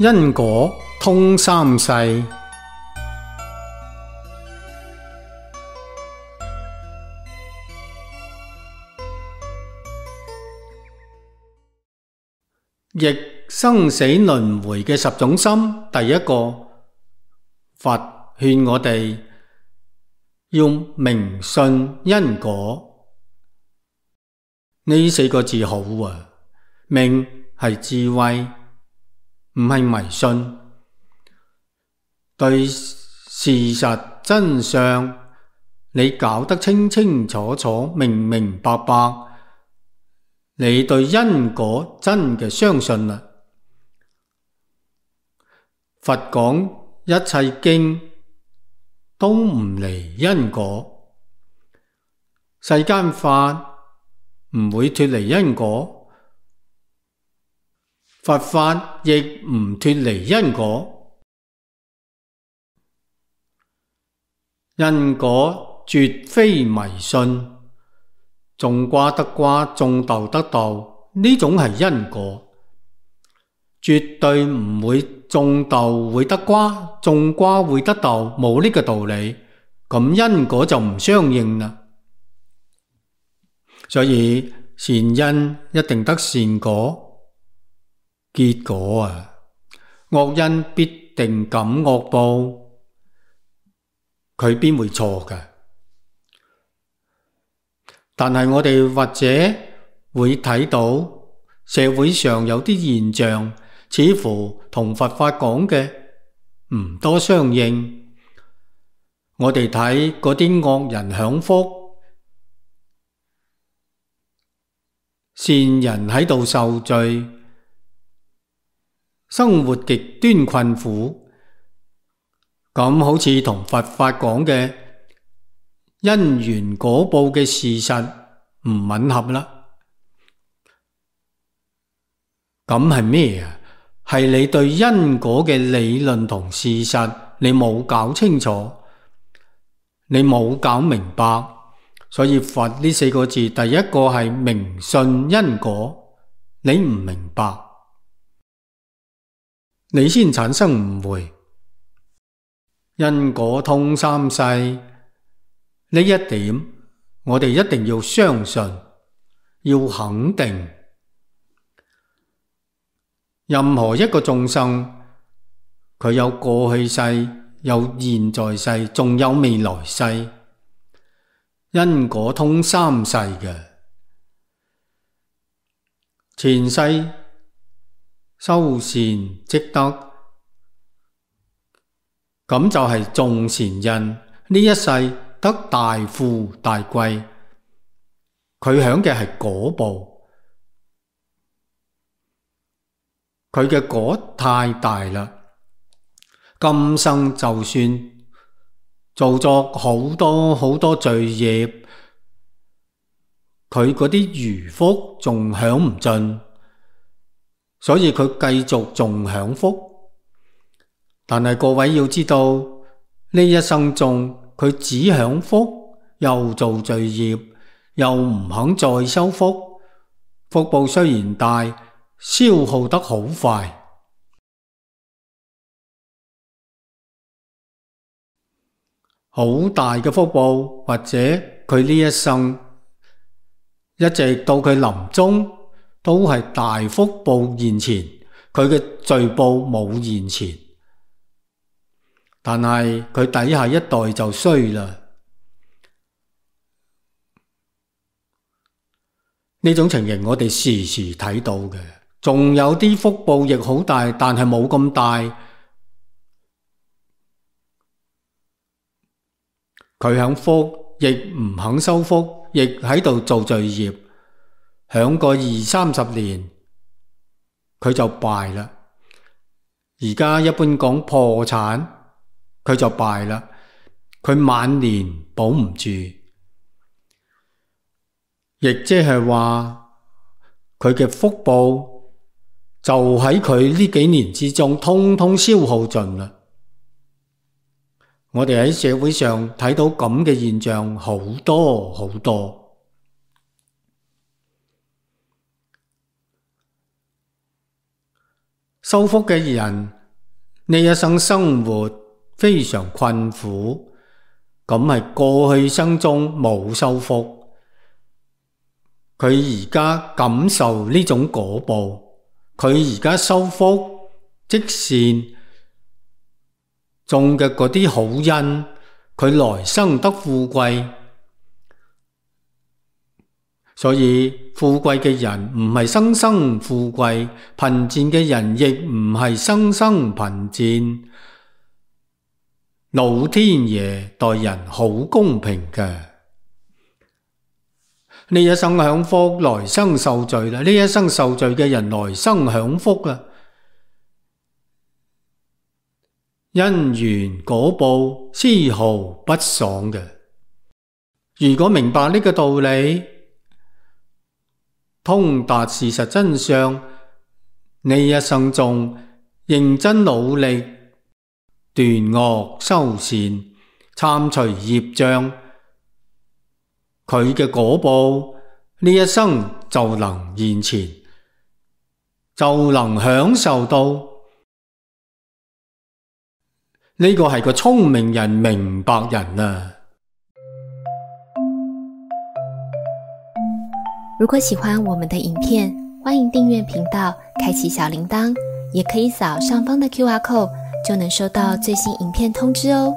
因果通三世。逆生死輪迴嘅10種心，第一個，佛勸我哋要明信因果。呢4個字好啊，明係智慧，唔係迷信。對事實真相，你搞得清清楚楚、明明白白，你對因果真嘅相信啦。佛講一切經都唔離因果，世間法唔會脫離因果，佛法亦唔脫離因果。因果絕非迷信，種瓜得瓜，種豆得豆，呢種係因果，絕對唔會種豆會得瓜，種瓜會得豆，冇呢個道理，咁因果就唔相應啦。所以善因一定得善果，結果啊，惡因必定感惡報，佢邊會錯㗎？但係我哋或者會睇到社會上有啲現象，似乎同佛法講嘅唔多相應。我哋睇嗰啲惡人享福，善人喺度受罪，生活極端困苦，咁好似同佛法講嘅因緣果報嘅事實唔吻合啦。咁係咩啊？係你對因果嘅理論同事實你冇搞清楚，你冇搞明白。所以佛呢4個字，第一個係明信因果，你唔明白，你先產生誤會。因果通三世呢一點，我哋一定要相信，要肯定。任何一個眾生，佢有過去世，有現在世，仲有未來世，因果通三世嘅。前世修善積德，咁就係種善因，呢一世得大富大貴，佢享嘅係果報，佢嘅果太大啦。今生就算做咗好多好多罪業，佢嗰啲餘福仲享唔盡，所以佢繼續仲享福。但係各位要知道，呢一生中佢只享福，又做罪業，又唔肯再修福，福報雖然大，消耗得好快。好大嘅福報，或者佢呢一生一直到佢臨終都係大福報現前，佢嘅罪報冇現前。但係佢底下一代就衰啦。呢種情形我哋時時睇到嘅，仲有啲福報亦好大，但係冇咁大。佢享福，亦唔肯修福，亦喺度做罪業，享個20-30年，佢就敗啦。而家一般講破產，佢就敗啦，佢晚年保唔住，亦即係話佢嘅福報就喺佢呢幾年之中通通消耗盡啦。我哋喺社會上睇到咁嘅現象好多好多。修福嘅人呢一生生活非常困苦，咁係過去生中冇修福，佢而家感受呢種果報，佢而家修福積善種嘅嗰啲好因，佢來生得富貴。所以富貴嘅人唔係生生富貴，貧賤嘅人亦唔係生生貧賤。老天爺待人好公平嘅，呢一生享福，來生受罪啦。呢一生受罪嘅人來生享福啊，因緣果報絲毫不爽嘅。如果明白呢個道理，通達事實真相，呢一生中認真努力斷惡修善，參除業障，佢嘅果報呢一生就能現前，就能享受到。呢個係個聰明人、明白人啊！如果喜歡我們的影片，歡迎訂閱頻道，開啟小鈴鐺，也可以掃上方的QR code，就能收到最新影片通知哦。